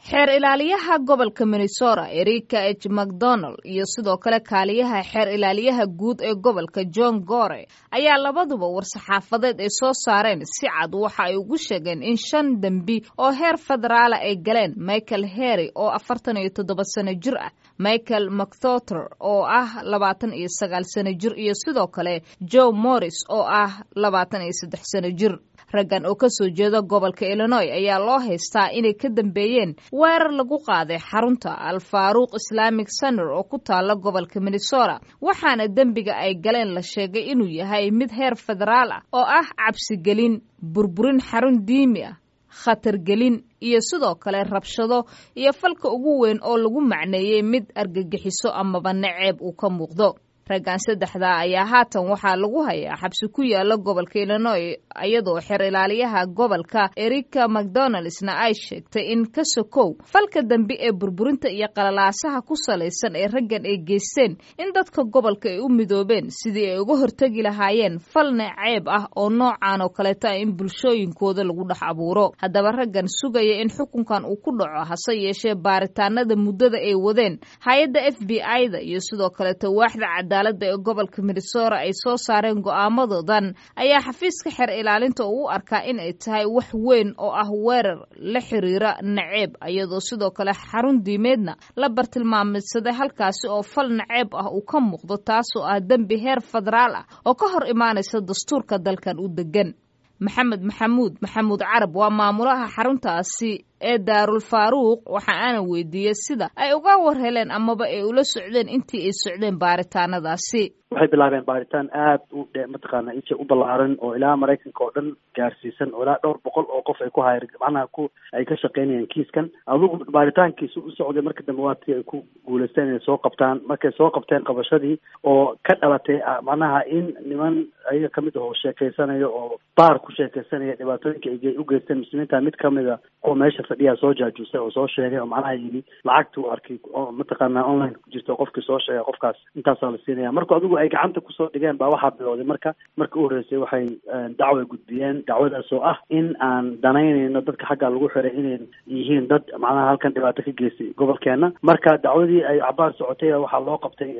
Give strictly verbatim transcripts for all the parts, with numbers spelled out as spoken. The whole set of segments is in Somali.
Xeer ilaaliyaha gobolka Minnesota, Erika H McDonald, iyo sidoo kale kaaliyaha xeer ilaaliyaha guud ee gobolka, John Gore, ayaa labaduba war-saxaafadeed ay soo saareen si cad waxa ay ugu sheegeen in shan dembi oo heer federaala ay galeen Michael Harry oo afartan iyo toddoba sano jir ah, Michael McThoter oo ah labaatan iyo sagaal sano jir, iyo sidoo kale Joe Morris oo ah labaatan iyo saddex sano jir. Raggan oo kasoo jeeda gobolka Illinois ayaa loo haystaa inay ka dambeeyeen weerar lagu qaaday xarunta Al-Faaruuq Islamic Center oo ku taala gobolka Minnesota, waxaana dembiga ay galeen la sheegay inuu yahay mid heer federaal ah oo ah cabsigelin, burburin xarun diimi ah, khatargelin iyo sidoo kale rabshado iyo falka ugu weyn oo lagu macneeyey mid argagixiso amaba naceeb uu ka muuqdo. Raggan saddexdaa ayaa haatan waxaa lagu hayaa xabsi ku yaala gobolka Illinois, iyadoo xeer ilaaliyaha gobolka Erika McDonaldsna ay sheegtay in ka sokow falka dambe ee burburinta iyo qalalaasaha ku salaysan ee raggan ay geysteen, in dadka gobolka ay u midoobeen sidii ay uga hortegi lahaayeen fal naceeb ah oo noocan oo kaleeta ah in bulshooyinkooda lagu dhex abuuro. Haddaba raggan sugaya in xukunkan uu ku dhaco, hase yeeshee baaritaanada muddada ay wadeen hay-adda F B I-da iyo sidoo kaleeta waaxda cadaaladda ee gobolka Minnesota ay soo saareen go'aamadoodan, ayaa xafiiska xeer ilaalinta uu u arkaa in ay tahay wax weyn oo ah weerar la xiriira naceeb, iyadoo sidoo kale xarun diimeedna la bartilmaamidsaday halkaasi oo fal naceeb ah uu ka muuqdo, taasoo ah dembi heer federaal ah oo ka hor imaanaysa dastuurka dalkan u degan. Maxamed Maxamuud Maxamuud Carab waa maamulaha xaruntaasi ee Daarul Faaruuq. Waxa aana weydiiyey sida ay uga war heleen amaba ay ula socdeen intii ay socdeen baaritaanadaasi. Waxay bilaabeen baaritaan aad u dhe mataqaana inta u ballaaran oo ilaa Maraykanka oo dhan gaarsiisan, oo ilaa dhowr boqol oo qof ay ku hayr macnaha ku ay ka shaqeynayaan kiiskan. Adugu baaritaankiisu u socday, marka dambe waatii ay ku guuleysteen inay soo qabtaan. Markay soo qabteen, qabashadii oo ka dhalatay macnaha in niman ayaga kamid ah oo sheekeysanayo oo baar ku sheekeysanaya dhibaatooyinka ay u geysteen muslimiinta, mid kamida kuwa meesha fadhiyaa soo jaajuusay oo soo sheegay, oo macnaha yidhi lacagta uu arkay oo mataqaana online ku jirta, qofkii soo sheegay qofkaas intaasaa la siinaya. Marka adigu ay gacanta kusoo dhigeen baa waxaa bilowday, marka marka u horreysay waxay dacway gudbiyeen, dacwadaas oo ah in aan danaynayno dadka xaggaa lagu xiray inay yihiin dad macnaha halkan dhibaato ka geystay gobolkeena. Marka dacwadii ay cabaar socotay, waxaa loo qabtay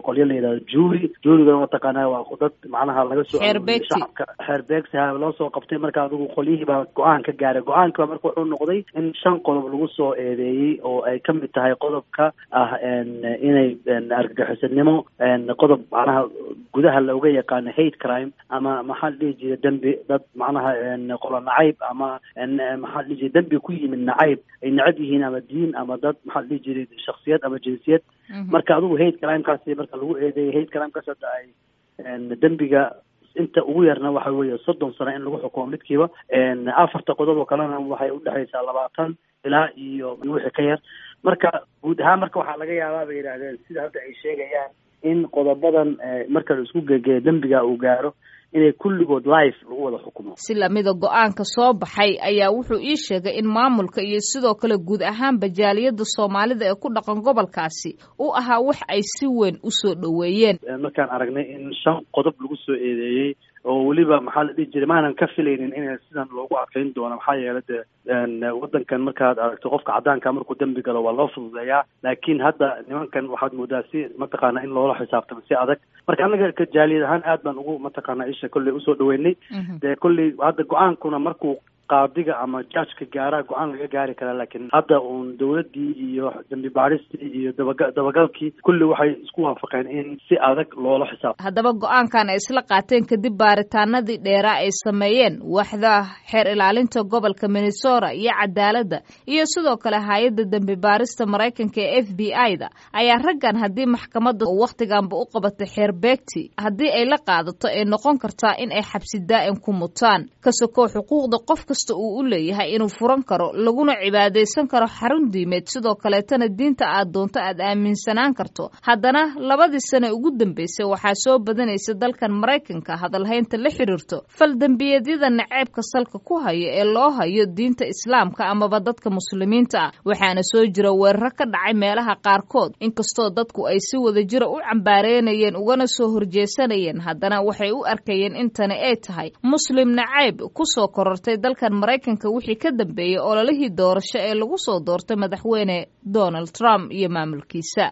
qolyo la yidhahdo jury. Jurygana mataqaana waa dad macnaha laga soo shacabka, xeer beegsi loo soo qabtay. Marka adigu qolyihii baa go-aan ka gaaray. Go-aanka marka wuxuu noqday in shan qodob lagu soo eedeeyey, oo ay kamid tahay qodobka ah inay argagixisanimo, qodob macnaha gudaha looga yaqaano hate crime ama maxaa la dhihi jiray dembi dad macnaha qolo nacayb ama maxaa la dhihi jiray dembi ku yimid nacayb ay necab yihiin ama diin ama dad, maxaa la dhihi jiray, shaksiyad ama jinsiyad. Marka adigu hate crimekaasi marka lagu eedeeyay, hate crimekaas hadda ay dembiga inta ugu yarna waxa weeye soddon sano in lagu xukumo midkiiba. Afarta qodob oo kalena waxay udhexaysaa labaatan ilaa iyo wixii ka yar. Marka guud ahaan marka waxaa laga yaabaa bay yidhaahdeen, sida hadda ay sheegayaan, in qodobadan marka la isku gegeeyo dembiga uu gaaro inay kulligood life lagu wada xukumo. Si lamida go-aanka soo baxay ayaa wuxuu ii sheegay in maamulka iyo sidoo kale guud ahaanba jaaliyadda Soomaalida ee ku dhaqan gobolkaasi u ahaa wax ay si weyn usoo dhoweeyeen. Markaan aragnay in shan qodob lagu soo eedeeyey oo weliba maxaa la dhihi jiray maanan ka filaynin inay sidan loogu adkeyn doono, maxaa yeelay dee waddankan markaad aragto qofka caddaanka markuu dembi galo waa loo fududeeyaa, laakiin hadda nimankan waxaad moodaa si mataqaana in loola xisaabtamo si adag. Marka annaga ka jaaliyad ahaan aad baan ugu mataqaana isha kolley usoo dhaweynay. Dee kolley hadda go-aankuna markuu qaadiga ama judgeka gaaraa go-aan laga gaari karaa, laakiin hadda uun dawladdii iyo dambi baaristii iyo dabaga dabagalkii kulli waxay isku waafaqeen in si adag loola xisaabto. Haddaba go-aankan ay isla qaateen kadib baaritaanadii dheeraa ay sameeyeen waaxda xeer ilaalinta gobolka Minnesota iyo cadaaladda iyo sidoo kale hay-adda dembi baarista Maraykanka ee F B I-da ayaa raggan haddii maxkamadda wakhtiganba u qabatay xeer beegti, haddii ay la qaadato, ay noqon kartaa in ay xabsi daa'im ku mutaan. Ka sokow xuquuqda qof kasta uu u leeyahay inuu furan karo laguna cibaadaysan karo xarun diimeed, sidoo kaleetana diinta aad doonto aad aaminsanaan karto, haddana labadii sane ugu dambeysay waxaa soo badanaysa dalkan Maraykanka hadalhaynta la xiriirto fal dembiyeedyada naceebka salka ku hayo ee loo hayo diinta Islaamka amaba dadka muslimiinta ah, waxaana soo jira weeraro ka dhacay meelaha qaarkood. Inkastoo dadku ay si wada jira u cambaareynayeen ugana soo horjeesanayeen, haddana waxay u arkayeen intani ay tahay muslim nacayb kusoo korortay dalkan. dalkan Maraykanka wixii ka dambeeyey ololihii doorasho ee lagu soo doortay madaxweyne Donald Trump iyo maamulkiisa.